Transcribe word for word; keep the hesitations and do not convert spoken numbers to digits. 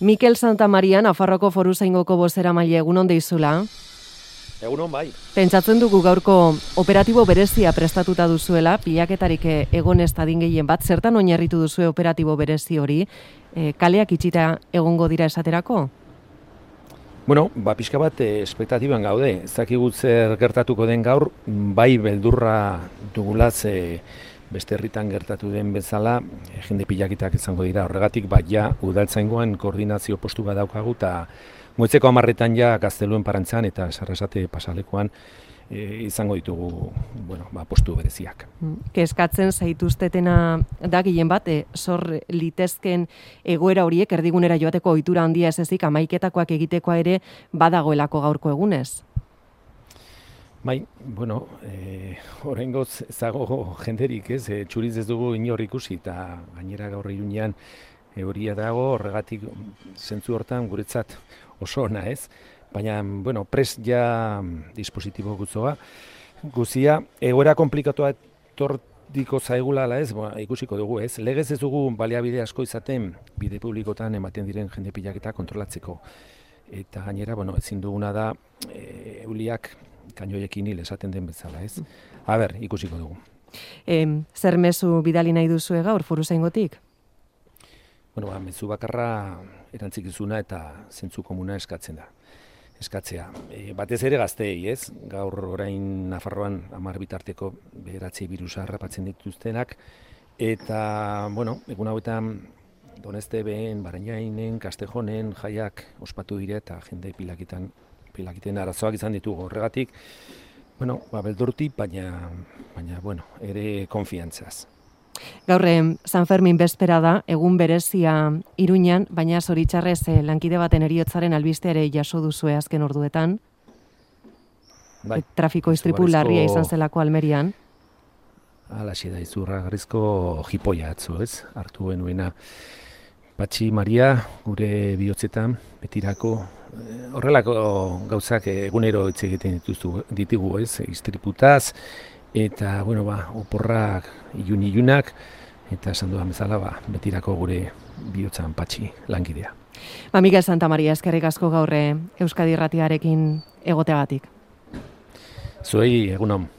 Mikel Santamaria, Nafarroako Foruzaingoko bozeramaile, egunon deizula. Egunon bai. Pentsatzen dugu gaurko operatibo berezia prestatuta duzuela, pilaketarik egon ez dadin gehien bat, zertan oinarritu duzue operatibo berezi hori, e, kaleak itxita egongo dira esaterako? Bueno, ba, pixka bat eh, espektatiban gaude. Ez dakigut zer gertatuko den gaur, bai beldurra dugulaz e, beste herritan gertatu den bezala, e, jende pilaketak izango dira. Horregatik, bat ja, udaltzaingoan koordinazio postu bat daukagu, eta goitzeko hamarretan ja Gazteluen Parantzan eta Sarrasate pasalekoan e, izango ditugu bueno, ba, postu bereziak. Kezkatzen zaituztetena da gehien bat, e, zor litezken egoera horiek erdigunera joateko ohitura handia ez ezik hamaiketakoak egitekoa ere badagoelako gaurko egunez. Bai, bueno, e, oraingoz ezago jenderik, ez, e, txuriz ez dugu inor ikusi, eta gainera gaur Iruñean euria dago, horregatik zentzu hortan guretzat oso ona, ez? Baina, bueno, prest ja dispositibo gutzoa, guzia, egoera komplikatua etortiko zaigula, ala ez, ba, ikusiko dugu, ez? Legez ez dugu baliabide asko izaten bide publikotan ematen diren jende pilaketa kontrolatzeko. Eta gainera, bueno, ezin duguna da, e, euliak kainoiekin hil esaten den bezala, ez? A ber, ikusiko dugu. E, zer mezu bidali nahi duzue gaur, Foruzaingotik? Bueno, ba, mezu bakarra erantzikizuna eta zentzu komuna eskatzen da. Eskatzea. E, batez ere gazteei, ez? Gaur orain Nafarroan hamar bitarteko bederatzi birusa harrapatzen dituztenak, eta, bueno, egun hauetan Doneste behen, Barainainen, Kastejonen jaiak ospatu dire eta jende pilakitan, pilakiten arazoak izan ditugu. Horregatik, bueno, ba, beldurti, baina, baina, bueno, ere konfiantzaz. Gaur San Fermin bezpera da, egun berezia Iruñan, baina zoritxarrez eh, lankide baten heriotzaren albiste ere jaso duzue azken orduetan. Bai, trafiko istripu larria izan zelako Almerian. Alaxe da, izugarrizko jipoia atzo, ez? Hartu genuena Patxi Maria, gure bihotzetan, betirako, horrelako gauzak egunero hitz egiten ditugu, ez? Istriputaz, eta, bueno, ba, oporrak ilun-ilunak, eta esan dudan bezala, ba, betirako gure bihotzan Patxi lankidea. Ba, Mikel Santamaria, eskerrik asko gaur Euskadi Irratiarekin egoteagatik. Zuei, egunon.